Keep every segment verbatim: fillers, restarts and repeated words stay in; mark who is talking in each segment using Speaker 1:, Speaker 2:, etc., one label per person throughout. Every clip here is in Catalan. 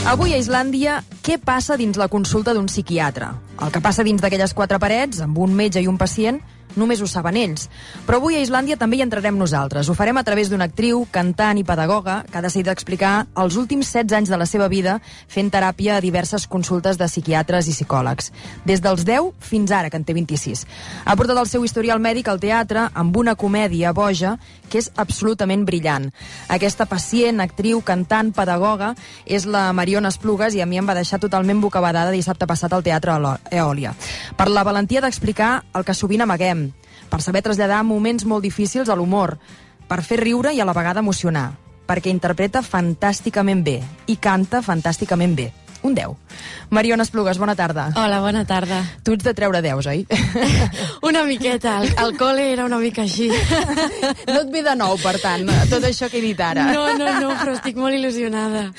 Speaker 1: Avui a Islàndia, què passa dins la consulta d'un psiquiatre? El que passa dins d'aquelles quatre parets, amb un metge i un pacient, només ho saben ells. Però avui a Islàndia també hi entrarem nosaltres. Ho farem a través d'una actriu, cantant i pedagoga que ha decidit explicar els últims setze anys de la seva vida fent teràpia a diverses consultes de psiquiatres i psicòlegs. Des dels deu fins ara, que en té vint-i-sis. Ha portat el seu historial mèdic al teatre amb una comèdia boja que és absolutament brillant. Aquesta pacient, actriu, cantant, pedagoga és la Mariona Esplugues i a mi em va deixar totalment bocabadada dissabte passat al Teatre Eòlia. Per la valentia d'explicar el que sovint amaguem, per saber traslladar moments molt difícils a l'humor, per fer riure i a la vegada emocionar, perquè interpreta fantàsticament bé i canta fantàsticament bé. Un deu. Mariona Esplugues, bona tarda.
Speaker 2: Hola, bona tarda.
Speaker 1: Tu ets de treure deus, oi?
Speaker 2: Una miqueta. El, el col·le era una mica així.
Speaker 1: No et ve de nou, per tant, tot això que he dit ara.
Speaker 2: No, no, no, però estic molt il·lusionada.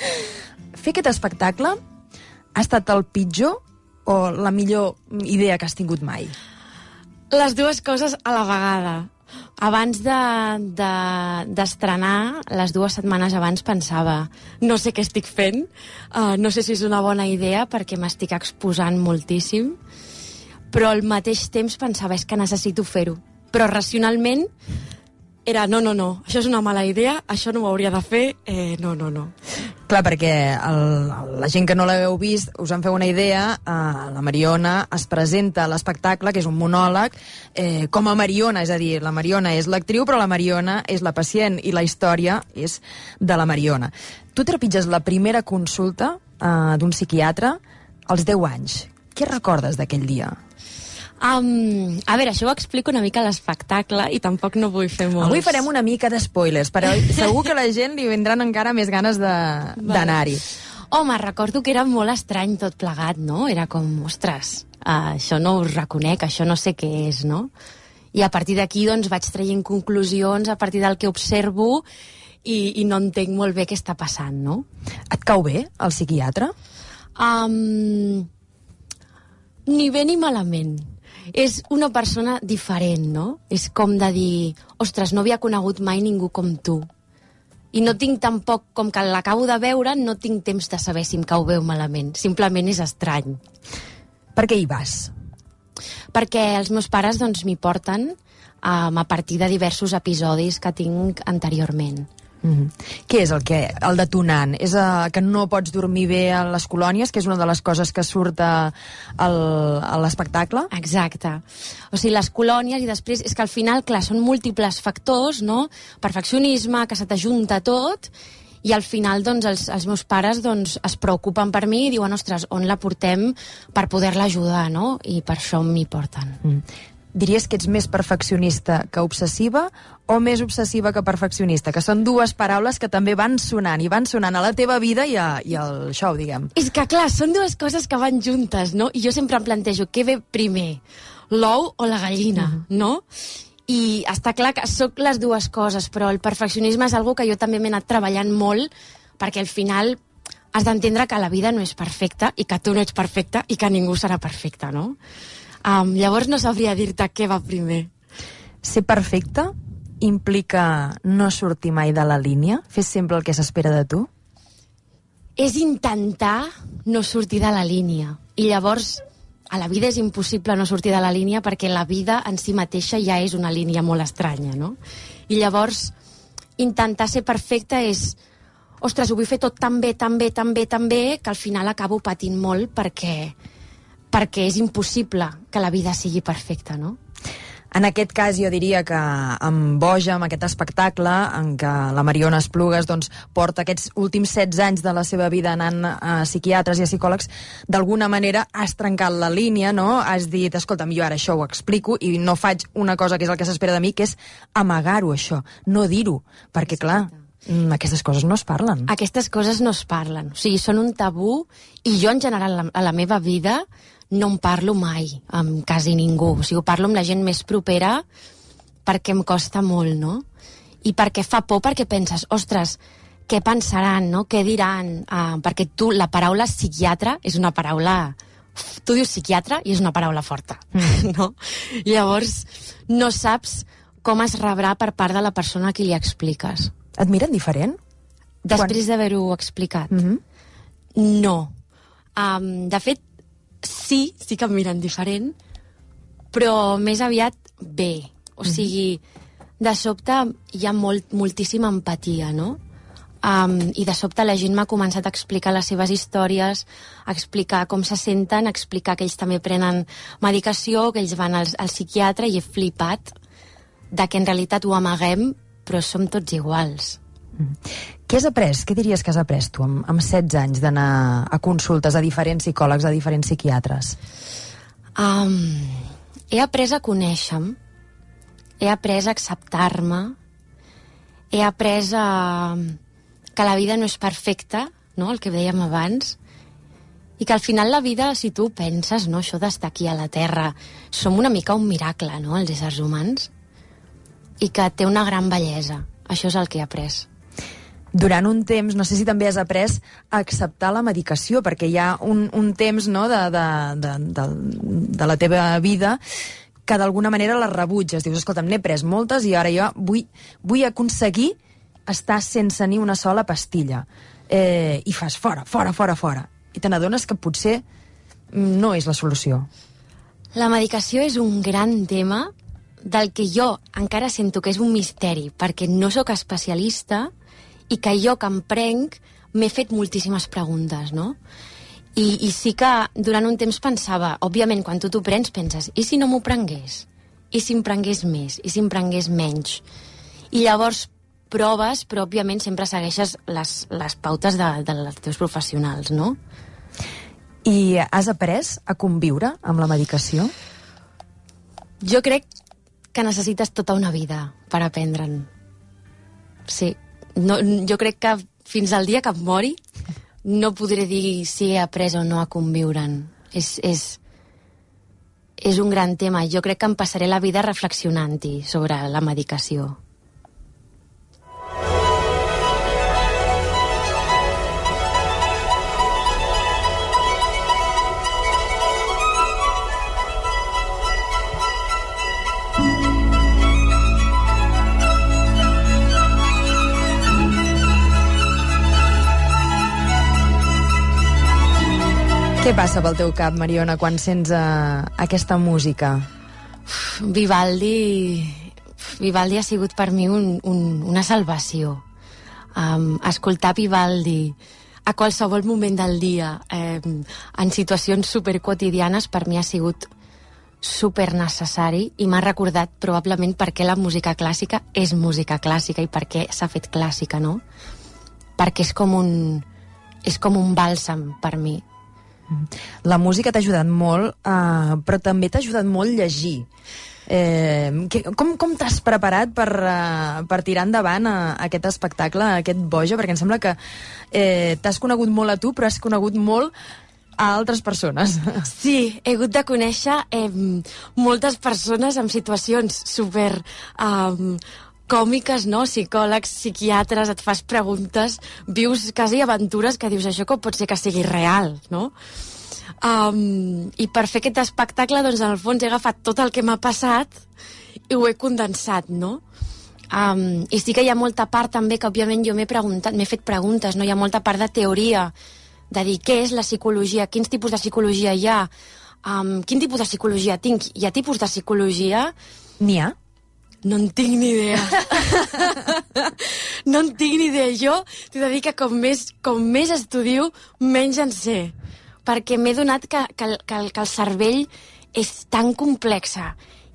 Speaker 1: Fer aquest espectacle ha estat el pitjor o la millor idea que has tingut mai?
Speaker 2: Les dues coses a la vegada. Abans de, de, d'estrenar, les dues setmanes abans pensava no sé què estic fent, uh, no sé si és una bona idea perquè m'estic exposant moltíssim, però al mateix temps pensava és que necessito fer-ho. Però racionalment era no, no, no, això és una mala idea, això no ho hauria de fer, eh, no, no, no.
Speaker 1: Clar, perquè el, la gent que no l'heu vist, us en feu una idea, eh, la Mariona es presenta a l'espectacle, que és un monòleg, eh, com a Mariona, és a dir, la Mariona és l'actriu, però la Mariona és la pacient, i la història és de la Mariona. Tu trepitges la primera consulta eh, d'un psiquiatre als deu anys. Què recordes d'aquell dia?
Speaker 2: Um, a veure, això ho explico una mica a l'espectacle i tampoc no vull fer molts.
Speaker 1: Avui farem una mica d'espoilers, però segur que la gent li vendran encara més ganes de, d'anar-hi.
Speaker 2: Home, recordo que era molt estrany tot plegat, no? Era com, ostres, uh, això no ho reconec, això no sé què és, no? I a partir d'aquí, doncs, vaig traient conclusions a partir del que observo i, i no entenc molt bé què està passant, no?
Speaker 1: Et cau bé, el psiquiatre?
Speaker 2: Um, ni bé ni malament. És una persona diferent, no? És com de dir, ostres, no havia conegut mai ningú com tu. I no tinc tampoc, com que l'acabo de veure, no tinc temps de saber si em cau bé o malament. Simplement és estrany.
Speaker 1: Per què hi vas?
Speaker 2: Perquè els meus pares doncs, m'hi porten um, a partir de diversos episodis que tinc anteriorment.
Speaker 1: Mm-hmm. Què és el que el detonant? És uh, que no pots dormir bé a les colònies, que és una de les coses que surt a, a l'espectacle?
Speaker 2: Exacte. O sigui, les colònies i després... És que al final, clar, són múltiples factors, no? Perfeccionisme, que se t'ajunta tot, i al final, doncs, els, els meus pares doncs, es preocupen per mi i diuen, ostres, on la portem per poder-la ajudar, no? I per això m'hi porten.
Speaker 1: Mm. Diries que ets més perfeccionista que obsessiva o més obsessiva que perfeccionista? Que són dues paraules que també van sonant, i van sonant a la teva vida i, a, i al show, diguem.
Speaker 2: És que, clar, són dues coses que van juntes, no? I jo sempre em plantejo, què ve primer? L'ou o la gallina, mm-hmm. no? I està clar que sóc les dues coses, però el perfeccionisme és algo que jo també m'he anat treballant molt, perquè al final has d'entendre que la vida no és perfecta i que tu no ets perfecta i que ningú serà perfecte, no? Um, llavors no sabria dir-te què va primer.
Speaker 1: Ser perfecte implica no sortir mai de la línia? Fer sempre el que s'espera de tu?
Speaker 2: És intentar no sortir de la línia. I llavors, a la vida és impossible no sortir de la línia perquè la vida en si mateixa ja és una línia molt estranya, no? I llavors, intentar ser perfecte és... Ostres, ho vull fer tot tan bé, tan bé, tan bé, tan bé, que al final acabo patint molt perquè... perquè és impossible que la vida sigui perfecta, no?
Speaker 1: En aquest cas jo diria que amb Boja, amb aquest espectacle en què la Mariona Esplugues doncs, porta aquests últims setze anys de la seva vida anant a psiquiatres i a psicòlegs, d'alguna manera has trencat la línia, no? Has dit, escolta'm, jo ara això ho explico i no faig una cosa que és el que s'espera de mi, que és amagar-ho, això, no dir-ho, perquè clar... Aquestes coses no es parlen.
Speaker 2: Aquestes coses no es parlen. O sigui, són un tabú i jo, en general, a la meva vida no em parlo mai amb quasi ningú. O sigui, parlo amb la gent més propera perquè em costa molt, no? I perquè fa por, perquè penses, ostres, què pensaran, no? Què diran? Uh, perquè tu, la paraula psiquiatre és una paraula... Tu dius psiquiatre i és una paraula forta, mm. no? Llavors, no saps com es rebrà per part de la persona a qui li expliques.
Speaker 1: Et miren diferent?
Speaker 2: Després Quan... d'haver-ho explicat.
Speaker 1: Mm-hmm.
Speaker 2: No. Um, de fet, sí, sí que em miren diferent, però més aviat bé. O sigui, de sobte hi ha molt, moltíssima empatia, no? Um, I de sobte la gent m'ha començat a explicar les seves històries, a explicar com se senten, a explicar que ells també prenen medicació, que ells van al, al psiquiatre, i he flipat de que en realitat ho amaguem, però som tots iguals.
Speaker 1: Mm. Què has après? Què diries que has après tu amb, amb setze anys d'anar a consultes a diferents psicòlegs, a diferents psiquiatres?
Speaker 2: Um, he après a conèixer-me, he après a acceptar-me, he après a... que la vida no és perfecta, no? El que dèiem abans, i que al final la vida, si tu penses, no? Això d'estar aquí a la Terra, som una mica un miracle, no? Els éssers humans, i que té una gran bellesa. Això és el que he après.
Speaker 1: Durant un temps, no sé si també has après a acceptar la medicació, perquè hi ha un, un temps, no?, de, de, de, de, de la teva vida que d'alguna manera la rebutges. Dius, escolta'm, n'he pres moltes i ara jo vull, vull aconseguir estar sense ni una sola pastilla. Eh, I fas fora, fora, fora, fora. I te n'adones que potser no és la solució.
Speaker 2: La medicació és un gran tema del que jo encara sento que és un misteri, perquè no sóc especialista i que jo que em prenc m'he fet moltíssimes preguntes, no? I, I sí que durant un temps pensava, òbviament, quan tu t'ho prens, penses, i si no m'ho prengués? I si em prengués més? I si em prengués menys? I llavors proves, però òbviament sempre segueixes les, les pautes de, dels teus professionals, no?
Speaker 1: I has après a conviure amb la medicació?
Speaker 2: Jo crec que necessites tota una vida per aprendre'n. Sí. No, jo crec que fins al dia que em mori no podré dir si he après o no a conviure'n. És, és, és un gran tema. Jo crec que em passaré la vida reflexionant-hi sobre la medicació.
Speaker 1: Què passa pel teu cap, Mariona, quan sents uh, aquesta música?
Speaker 2: Vivaldi... Vivaldi ha sigut per mi un, un, una salvació. Um, escoltar Vivaldi a qualsevol moment del dia, eh, en situacions superquotidianes, per mi ha sigut super necessari i m'ha recordat probablement per què la música clàssica és música clàssica i per què s'ha fet clàssica, no? Perquè és com un, és com un bàlsam per mi.
Speaker 1: La música t'ha ajudat molt, uh, però també t'ha ajudat molt llegir. Eh, que, com com t'has preparat per, uh, per tirar endavant uh, aquest espectacle, aquest Boja? Perquè em sembla que eh, t'has conegut molt a tu, però has conegut molt a altres persones.
Speaker 2: Sí, he hagut de conèixer eh, moltes persones en situacions super... Um, còmiques, no? Psicòlegs, psiquiatres, et fas preguntes, vius quasi aventures que dius, això com pot ser que sigui real, no? Um, I per fer aquest espectacle, doncs, en el fons he agafat tot el que m'ha passat i ho he condensat, no? Um, I sí que hi ha molta part també que, òbviament, jo m'he preguntat, m'he fet preguntes, no? Hi ha molta part de teoria, de dir què és la psicologia, quins tipus de psicologia hi ha, um, quin tipus de psicologia tinc, hi ha tipus de psicologia...
Speaker 1: N'hi ha?
Speaker 2: No en tinc ni idea. No en tinc ni idea. Jo t'he de dir que com més, com més estudio, menys en sé. Perquè m'he donat que, que, que, que el cervell és tan complexa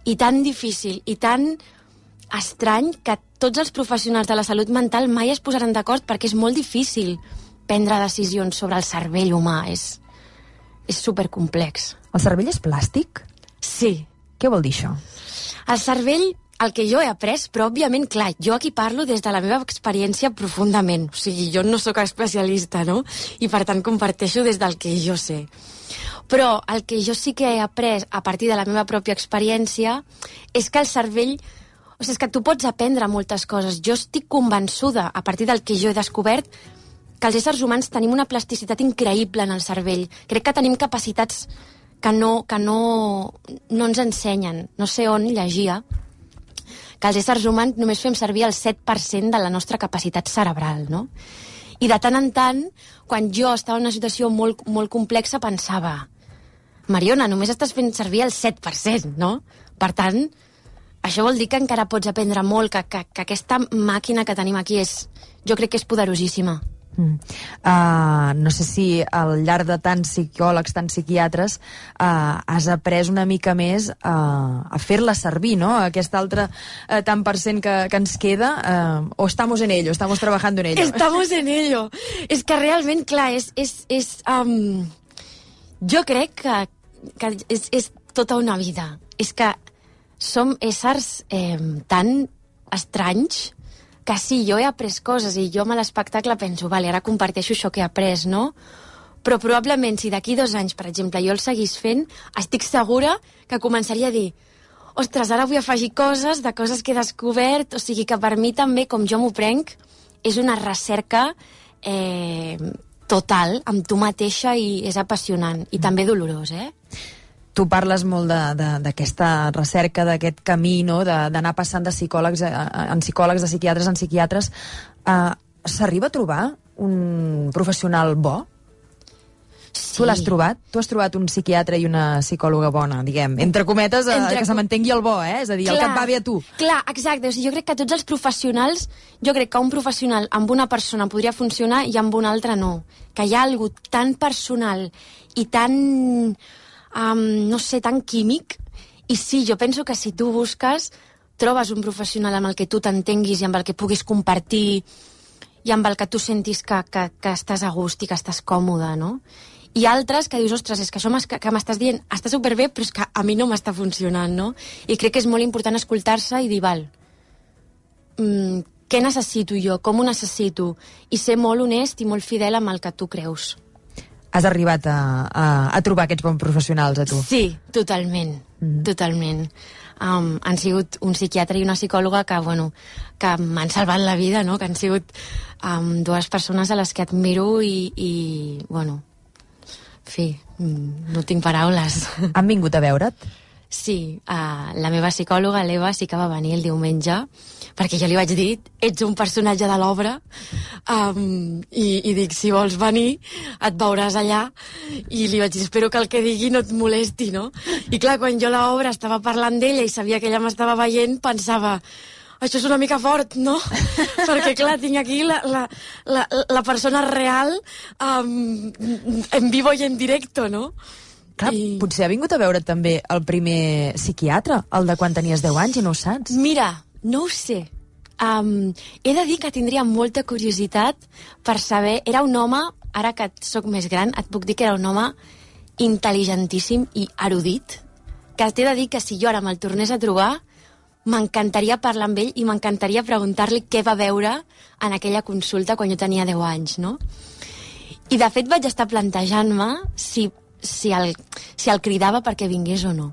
Speaker 2: i tan difícil i tan estrany que tots els professionals de la salut mental mai es posaran d'acord perquè és molt difícil prendre decisions sobre el cervell humà. És, és supercomplex.
Speaker 1: El cervell és plàstic?
Speaker 2: Sí.
Speaker 1: Què vol dir això?
Speaker 2: El cervell... El que jo he après, però òbviament, clar, jo aquí parlo des de la meva experiència profundament. O sigui, jo no sóc especialista, no? I per tant comparteixo des del que jo sé. Però el que jo sí que he après a partir de la meva pròpia experiència és que el cervell... O sigui, és que tu pots aprendre moltes coses. Jo estic convençuda, a partir del que jo he descobert, que els éssers humans tenim una plasticitat increïble en el cervell. Crec que tenim capacitats que no, que no, no ens ensenyen. No sé on llegia que els éssers humans només fem servir el set per cent de la nostra capacitat cerebral, no? I de tant en tant, quan jo estava en una situació molt, molt complexa, pensava, Mariona, només estàs fent servir el set per cent, no? Per tant, això vol dir que encara pots aprendre molt, que, que, que aquesta màquina que tenim aquí és, jo crec que és poderosíssima.
Speaker 1: Mm. Uh, no sé si al llarg de tants psicòlegs, tants psiquiatres, uh, has après una mica més uh, a fer-la servir, no? Aquest altre uh, tant per cent que, que ens queda, uh, o estamos en ello, estamos trabajando en ello.
Speaker 2: Estamos en ello. És que realment, clar, és... és, és um, jo crec que, que és, és tota una vida. És que som éssers eh, tan estranys que sí, jo he après coses i jo amb l'espectacle penso, vale, ara comparteixo això que he après, no? Però probablement si d'aquí dos anys, per exemple, jo el seguís fent, estic segura que començaria a dir ostres, ara vull afegir coses de coses que he descobert, o sigui que per mi també, com jo m'ho prenc, és una recerca eh, total amb tu mateixa i és apassionant i també dolorós, eh?
Speaker 1: Tu parles molt d'aquesta recerca, d'aquest camí, no? D'anar passant de psicòlegs en psicòlegs, de psiquiatres en psiquiatres. Uh, S'arriba a trobar un professional bo? Sí. Tu l'has trobat? Tu has trobat un psiquiatre i una psicòloga bona, diguem. Entre cometes, Entre... que se mantengui el bo, eh? És a dir, clar, el que et va bé a tu.
Speaker 2: Clar, exacte. O sigui, jo crec que tots els professionals, jo crec que un professional amb una persona podria funcionar i amb una altra no. Que hi ha algú tan personal i tan... Um, no sé, tan químic, i sí, jo penso que si tu busques trobes un professional amb el que tu t'entenguis i amb el que puguis compartir i amb el que tu sentis que, que, que estàs a gust i que estàs còmode, no? I altres que dius, ostres, és que això que, que m'estàs dient està superbé, però és que a mi no m'està funcionant, no? I crec que és molt important escoltar-se i dir, val, mm, què necessito jo, com ho necessito? I ser molt honest i molt fidel amb el que tu creus.
Speaker 1: Has arribat a, a, a trobar aquests bons professionals, a tu?
Speaker 2: Sí, totalment, mm. totalment. Um, han sigut un psiquiatre i una psicòloga que, bueno, que m'han salvat la vida, no? Que han sigut um, dues persones a les que admiro i, i bueno, en fi, no tinc paraules.
Speaker 1: Han vingut a veure't?
Speaker 2: Sí, uh, la meva psicòloga, l'Eva, sí que va venir el diumenge, perquè jo li vaig dir, ets un personatge de l'obra, um, i, i dic, si vols venir, et veuràs allà, i li vaig dir, espero que el que digui no et molesti, no? I clar, quan jo a l'obra estava parlant d'ella i sabia que ella m'estava veient, pensava, això és una mica fort, no? Perquè, clar, tinc aquí la, la, la, la persona real um, en vivo i en directo, no?
Speaker 1: Clar, I... potser ha vingut a veure també el primer psiquiatre, el de quan tenies deu anys i no ho saps.
Speaker 2: Mira, no ho sé. Um, he de dir que tindria molta curiositat per saber... Era un home, ara que sóc més gran, et puc dir que era un home intel·ligentíssim i erudit, que t'he de dir que si jo ara me'l tornés a trobar, m'encantaria parlar amb ell i m'encantaria preguntar-li què va veure en aquella consulta quan jo tenia deu anys, no? I de fet vaig estar plantejant-me si... Si el, si el cridava perquè vingués o no.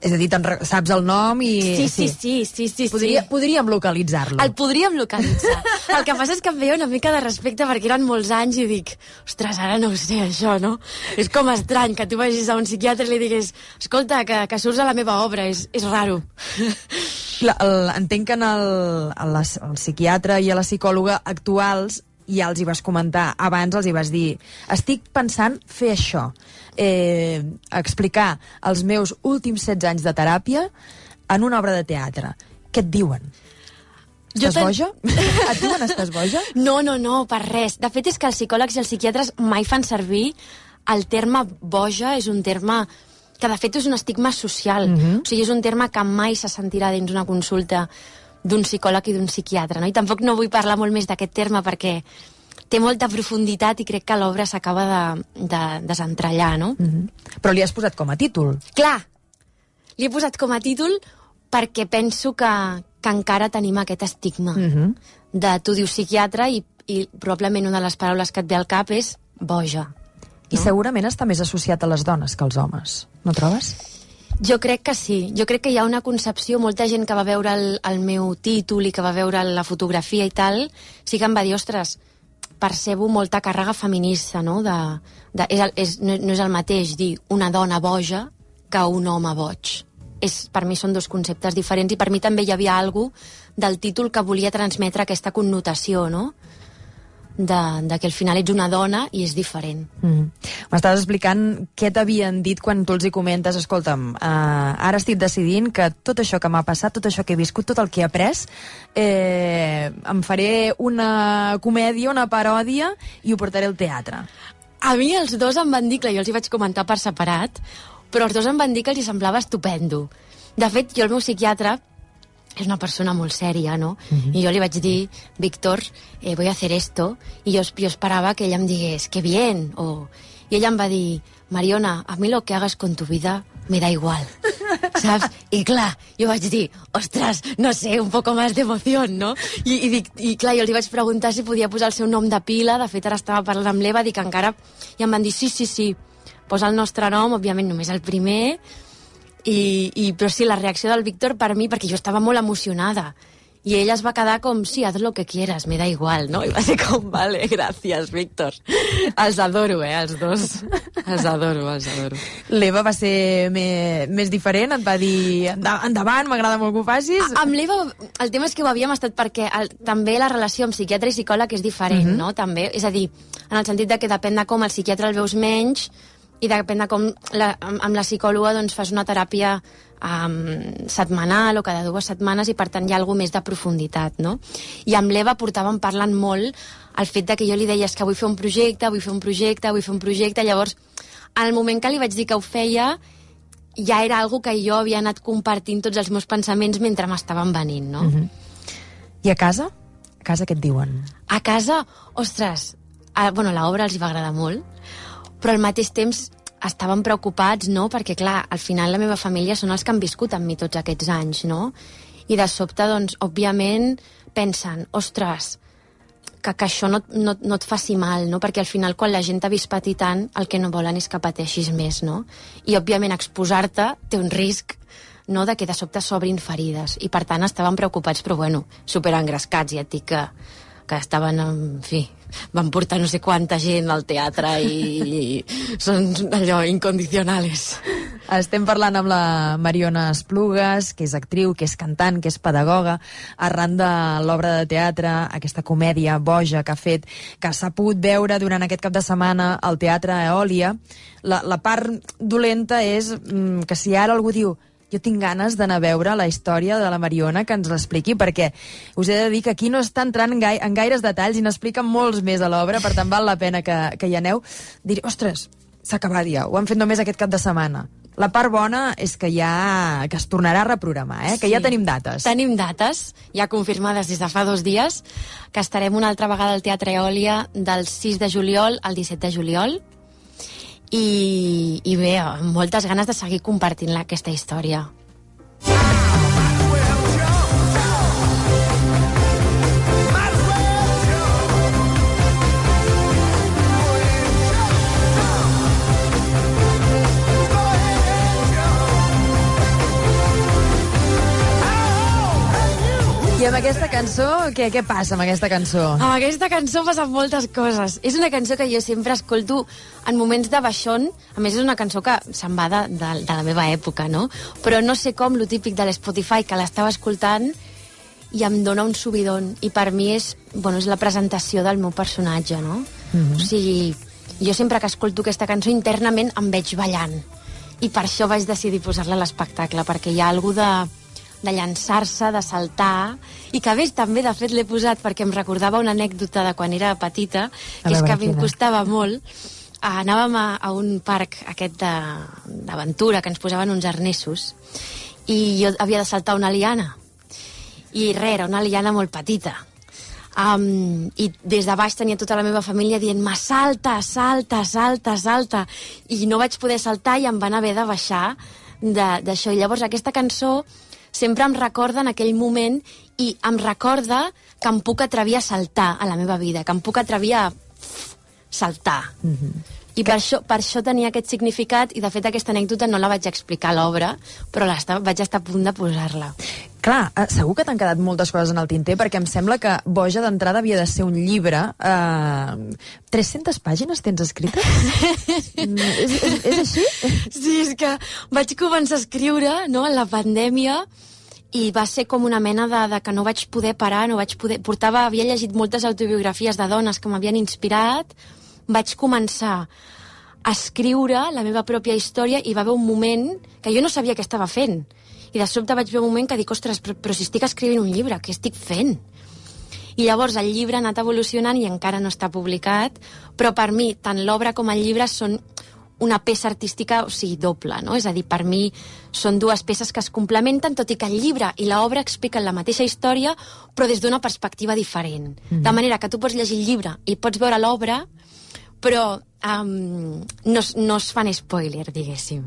Speaker 1: És a dir, saps el nom i...
Speaker 2: Sí, sí, sí. sí, sí,
Speaker 1: Podria,
Speaker 2: sí.
Speaker 1: Podríem localitzar-lo.
Speaker 2: El podríem localitzar. El que passa és que em veia una mica de respecte perquè eren molts anys i dic, ostres, ara no ho sé, això, no? És com estrany que tu vagis a un psiquiatre i li digués, escolta, que, que surts a la meva obra, és, és raro.
Speaker 1: Clar, el, entenc que en el, el, el psiquiatre i a la psicòloga actuals ja els hi vas comentar, abans els hi vas dir, estic pensant fer això, eh, explicar els meus últims setze anys de teràpia en una obra de teatre. Què et diuen? Estàs ten... boja? Et diuen estàs boja?
Speaker 2: No, no, no, per res. De fet, és que els psicòlegs i els psiquiatres mai fan servir el terme boja, és un terme que de fet és un estigma social. Mm-hmm. O sigui, és un terme que mai se sentirà dins una consulta d'un psicòleg i d'un psiquiatre, no? I tampoc no vull parlar molt més d'aquest terme perquè té molta profunditat i crec que l'obra s'acaba de, de desentrellar, no?
Speaker 1: Mm-hmm. Però li has posat com a títol.
Speaker 2: Clar, li he posat com a títol perquè penso que, que encara tenim aquest estigma mm-hmm. de tu dius psiquiatre i, i probablement una de les paraules que et ve al cap és boja. No?
Speaker 1: I segurament està més associat a les dones que als homes, no trobes?
Speaker 2: Jo crec que sí. Jo crec que hi ha una concepció, molta gent que va veure el, el meu títol i que va veure la fotografia i tal, sí que em va dir, ostres, percebo molta càrrega feminista, no? De, de, és el, és, no, no és el mateix dir una dona boja que un home boig. És, per mi són dos conceptes diferents i per mi també hi havia algo del títol que volia transmetre aquesta connotació, no? de, de que al final ets una dona i és diferent.
Speaker 1: Mm. M'estaves explicant què t'havien dit quan tu els hi comentes, escolta'm, uh, ara estic decidint que tot això que m'ha passat, tot això que he viscut, tot el que he après, eh, em faré una comèdia, una paròdia i ho portaré al teatre.
Speaker 2: A mi els dos em van dir, clar, jo els hi vaig comentar per separat, però els dos em van dir que els hi semblava estupendo. De fet, jo el meu psiquiatre és una persona molt sèria, no? Uh-huh. I jo li vaig dir, Víctor, eh, voy a hacer esto, i jo, jo esperava que ella em digués, que bien, o... I ella em va dir, Mariona, a mi lo que hagas con tu vida me da igual, saps? I clar, jo vaig dir, ostres, no sé, un poco más de emoción, no? I, i, dic, i clar, jo li vaig preguntar si podia posar el seu nom de pila, de fet ara estava parlant amb l'Eva, dic encara... I em van dir, sí, sí, sí, posa el nostre nom, òbviament només el primer... I, i, però sí, la reacció del Víctor per mi, perquè jo estava molt emocionada, i ella es va quedar com, sí, haz lo que quieras, me da igual, no? I va ser com, vale, gràcies, Víctor. Els adoro, eh, els dos. Els adoro, els adoro.
Speaker 1: L'Eva va ser més, més diferent? Et va dir, endavant, m'agrada molt que ho facis?
Speaker 2: A, amb l'Eva, el tema és que ho havíem estat perquè el, també la relació amb psiquiatre i psicòleg és diferent, uh-huh. no? També, és a dir, en el sentit de que depèn de com el psiquiatre el veus menys, i depèn de com la, amb, amb la psicòloga doncs, fas una teràpia um, setmanal o cada dues setmanes i per tant hi ha alguna més de profunditat, no? I amb l'Eva portàvem parlant molt el fet de que jo li deia que vull fer un projecte, vull fer un projecte, vull fer un projecte, llavors al moment que li vaig dir que ho feia ja era algo que jo havia anat compartint tots els meus pensaments mentre m'estaven venint, no?
Speaker 1: Uh-huh. I a casa? A casa què et diuen?
Speaker 2: A casa, ostres, a, bueno, l'obra els hi va agradar molt, però al mateix temps estaven preocupats, no? Perquè, clar, al final la meva família són els que han viscut amb mi tots aquests anys, no? I de sobte, doncs, òbviament, pensen, ostres, que, que això no, no, no et faci mal, no? Perquè al final, quan la gent t'ha vist patir tant, el que no volen és que pateixis més, no? I, òbviament, exposar-te té un risc, no?, de que de sobte s'obrin ferides. I, per tant, estaven preocupats, però, bueno, superengrescats, ja et dic que, que estaven, en fi... van portar no sé quanta gent al teatre i, i són allò incondicionales.
Speaker 1: Estem parlant amb la Mariona Esplugues, que és actriu, que és cantant, que és pedagoga, arran de l'obra de teatre, aquesta comèdia boja que ha fet, que s'ha pogut veure durant aquest cap de setmana al Teatre Eòlia. La, la part dolenta és mm, que si ara algú diu jo tinc ganes d'anar a veure la història de la Mariona, que ens l'expliqui, perquè us he de dir que aquí no està entrant en, gai en gaires detalls i n'explica molts més a l'obra, per tant val la pena que, que hi aneu. Dir, ostres, s'ha acabat ja, ho han fet només aquest cap de setmana. La part bona és que ja que es tornarà a reprogramar, eh? Que sí, ja tenim dates.
Speaker 2: Tenim dates, ja confirmades des de fa dos dies, que estarem una altra vegada al Teatre Eòlia del sis de juliol al disset de juliol, i, i bé, amb moltes ganes de seguir compartint aquesta història.
Speaker 1: I amb aquesta cançó, què, què passa amb aquesta cançó?
Speaker 2: Amb aquesta cançó passen moltes coses. És una cançó que jo sempre escolto en moments de baixón. A més, és una cançó que se'n va de, de, de la meva època, no? Però no sé com, lo típic de l'Spotify, que l'estava escoltant i em dona un subidon. I per mi és, bueno, és la presentació del meu personatge, no? Mm-hmm. O sigui, jo sempre que escolto aquesta cançó internament em veig ballant. I per això vaig decidir posar-la a l'espectacle, perquè hi ha alguna de... de llançar-se, de saltar, i que a més també, de fet, l'he posat perquè em recordava una anècdota de quan era petita, que és que a mi em costava molt. Anàvem a, a un parc aquest d'aventura, que ens posaven uns arnessos, i jo havia de saltar una liana. I res, era una liana molt petita. Um, I des de baix tenia tota la meva família dient-me salta, salta, salta, salta, i no vaig poder saltar i em van haver de baixar d'això. I llavors aquesta cançó sempre em recorda en aquell moment i em recorda que em puc atrevir a saltar a la meva vida, que em puc atrevir a saltar. Mm-hmm. I per això, per això tenia aquest significat, i de fet aquesta anècdota no la vaig explicar a l'obra, però vaig estar a punt de posar-la.
Speaker 1: Clar, segur que t'han quedat moltes coses en el tinter, perquè em sembla que Boja d'entrada havia de ser un llibre. Eh, tres-centes pàgines tens escrites? és, és, és així?
Speaker 2: Sí, és que vaig començar a escriure, no?, en la pandèmia, i va ser com una mena de, de que no vaig poder parar, no vaig poder... Portava, havia llegit moltes autobiografies de dones que m'havien inspirat, vaig començar a escriure la meva pròpia història i va haver un moment que jo no sabia què estava fent. I de sobte vaig veure un moment que dic, ostres, però, però si estic escrivint un llibre, què estic fent? I llavors el llibre ha anat evolucionant i encara no està publicat, però per mi, tant l'obra com el llibre són una peça artística, o sigui, doble, no? És a dir, per mi són dues peces que es complementen, tot i que el llibre i l'obra expliquen la mateixa història, però des d'una perspectiva diferent. Mm. De manera que tu pots llegir el llibre i pots veure l'obra, però um, no, no es fan spoiler, diguéssim.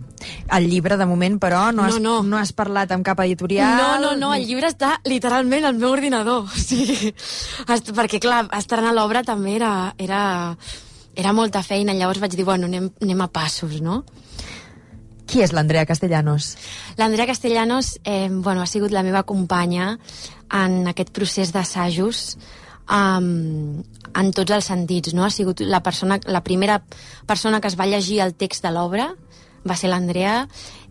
Speaker 1: El llibre, de moment, però, no has,
Speaker 2: no, no.
Speaker 1: no has parlat amb cap editorial?
Speaker 2: No, no, no, el llibre està literalment al meu ordinador. O sigui, perquè, clar, estrenar l'obra també era... era Era molta feina, llavors vaig dir, bueno, anem, anem a passos, no?
Speaker 1: Qui és l'Andrea Castellanos?
Speaker 2: L'Andrea Castellanos eh, bueno, ha sigut la meva companya en aquest procés d'assajos um, en tots els sentits, no? Ha sigut la, persona, la primera persona que es va llegir el text de l'obra, va ser l'Andrea,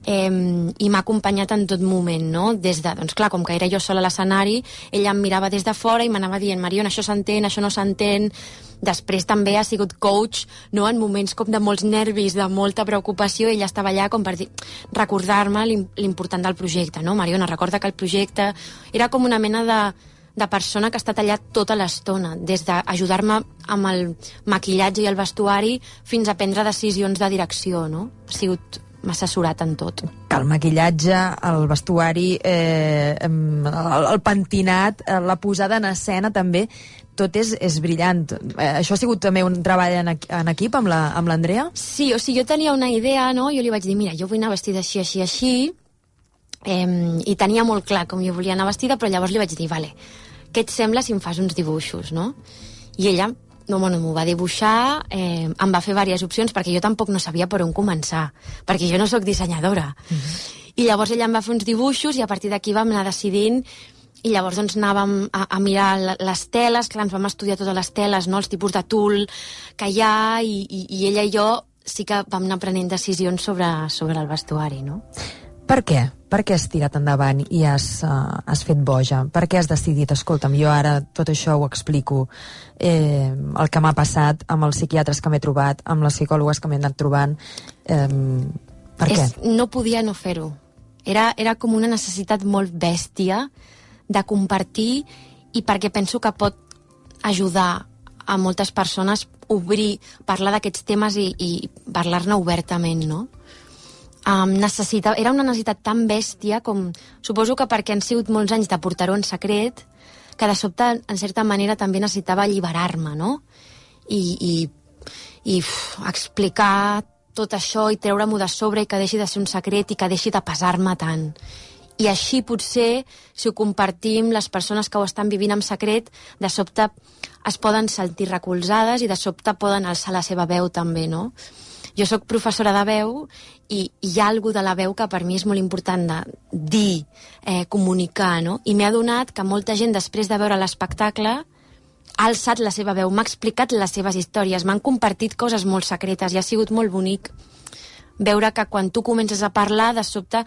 Speaker 2: eh, i m'ha acompanyat en tot moment, no? Des de, doncs clar, com que era jo sola a l'escenari, ella em mirava des de fora i m'anava dient, Mariona, això s'entén, això no s'entén. Després també ha sigut coach, no? En moments com de molts nervis, de molta preocupació, ella estava allà com per dir, recordar-me l'important del projecte, no? Mariona, recorda que el projecte era com una mena de, de persona que ha estat allà tota l'estona, des d'ajudar-me amb el maquillatge i el vestuari fins a prendre decisions de direcció, no? Ha sigut... m'ha assessorat en tot.
Speaker 1: El maquillatge, el vestuari, eh, el, el pentinat, la posada en escena també, tot és, és brillant. Eh, això ha sigut també un treball en, en equip amb l'Andrea? La,
Speaker 2: sí, o sigui, jo tenia una idea, no? Jo li vaig dir, mira, jo vull anar vestida així, així, així, eh, i tenia molt clar com jo volia anar vestida, però llavors li vaig dir, vale, què et sembla si em fas uns dibuixos, no? I ella... No, bueno, m'ho va dibuixar, eh, em va fer diverses opcions, perquè jo tampoc no sabia per on començar, perquè jo no sóc dissenyadora. Uh-huh. I llavors ella em va fer uns dibuixos i a partir d'aquí vam anar decidint, i llavors doncs anàvem a, a mirar les teles, clar, ens vam estudiar totes les teles, no? Els tipus de tul que hi ha, i, i, i ella i jo sí que vam anar prenent decisions sobre, sobre el vestuari, no?
Speaker 1: Per què? Per què has tirat endavant i has, uh, has fet boja? Per què has decidit, escolta'm, jo ara tot això ho explico, eh, el que m'ha passat amb els psiquiatres que m'he trobat, amb les psicòlogues que m'he anat trobant, eh, per què?
Speaker 2: És, no podia no fer-ho. Era, era com una necessitat molt bèstia de compartir, i perquè penso que pot ajudar a moltes persones obrir, parlar d'aquests temes i, i parlar-ne obertament, no? Um, necessita, era una necessitat tan bèstia com... Suposo que perquè han sigut molts anys de portar-ho en secret, que de sobte, en certa manera, també necessitava alliberar-me, no? I, i, i uf, explicar tot això i treure-m'ho de sobre i que deixi de ser un secret i que deixi de pesar-me tant. I així, potser, si ho compartim, les persones que ho estan vivint en secret, de sobte es poden sentir recolzades i de sobte poden alçar la seva veu també, no? Jo sóc professora de veu i hi ha alguna de la veu que per mi és molt important de dir, eh, comunicar, no? I m'he adonat que molta gent, després de veure l'espectacle, ha alçat la seva veu, m'ha explicat les seves històries, m'han compartit coses molt secretes i ha sigut molt bonic veure que quan tu comences a parlar, de sobte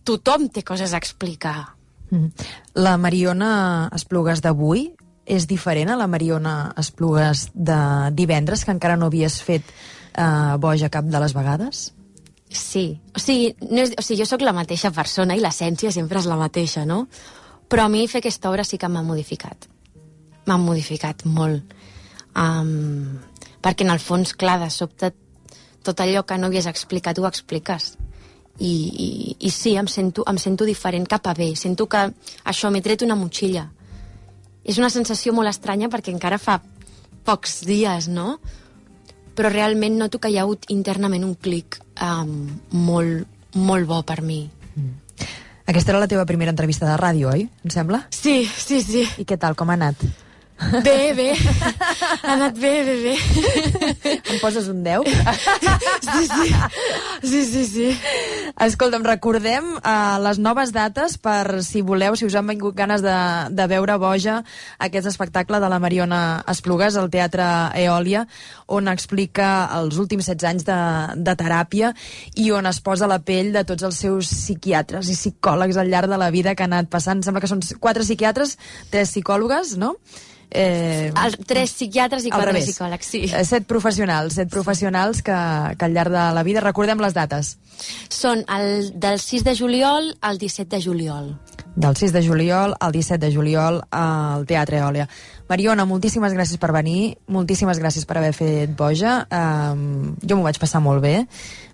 Speaker 2: tothom té coses a explicar.
Speaker 1: Mm. La Mariona Esplugues d'avui és diferent a la Mariona Esplugues de divendres, que encara no havies fet uh, boja cap de les vegades?
Speaker 2: Sí, o sigui, no és, o sigui, jo sóc la mateixa persona i l'essència sempre és la mateixa, no? Però a mi fer aquesta obra sí que m'ha modificat. M'ha modificat molt. Um, perquè en el fons, clar, de sobte, tot allò que no havies explicat ho expliques. I, i, i sí, em sento, em sento diferent cap a bé. Sento que això, m'he tret una motxilla. És una sensació molt estranya perquè encara fa pocs dies, no? Però realment noto que hi ha hagut internament un clic um, molt, molt bo per mi.
Speaker 1: Mm. Aquesta era la teva primera entrevista de ràdio, oi? Em sembla?
Speaker 2: Sí, sí, sí.
Speaker 1: I què tal, com ha anat?
Speaker 2: Bé, bé. Ha anat bé, bé, bé.
Speaker 1: Em poses un deu?
Speaker 2: Sí, sí. Sí, sí, sí.
Speaker 1: Escolta'm, recordem uh, les noves dates per, si voleu, si us han vingut ganes de, de veure Boja, aquest espectacle de la Mariona Esplugues al Teatre Eòlia, on explica els últims setze anys de, de teràpia i on es posa la pell de tots els seus psiquiatres i psicòlegs al llarg de la vida que ha anat passant. Sembla que són quatre psiquiatres, tres psicòlogues, no?
Speaker 2: Eh, el, tres psiquiatres i quatre psicòlegs, sí.
Speaker 1: Eh, set professionals, set professionals que, que al llarg de la vida, recordem les dates.
Speaker 2: Són el, del sis de juliol al disset de juliol.
Speaker 1: Del sis de juliol al disset de juliol al Teatre Eòlia. Mariona, moltíssimes gràcies per venir, moltíssimes gràcies per haver fet Boja. Um, jo m'ho vaig passar molt bé,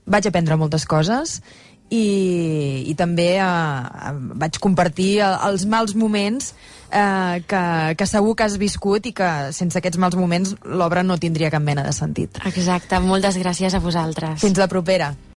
Speaker 1: vaig aprendre moltes coses i, i també uh, vaig compartir els mals moments uh, que, que segur que has viscut i que sense aquests mals moments l'obra no tindria cap mena de sentit.
Speaker 2: Exacte, moltes gràcies a vosaltres.
Speaker 1: Fins la propera.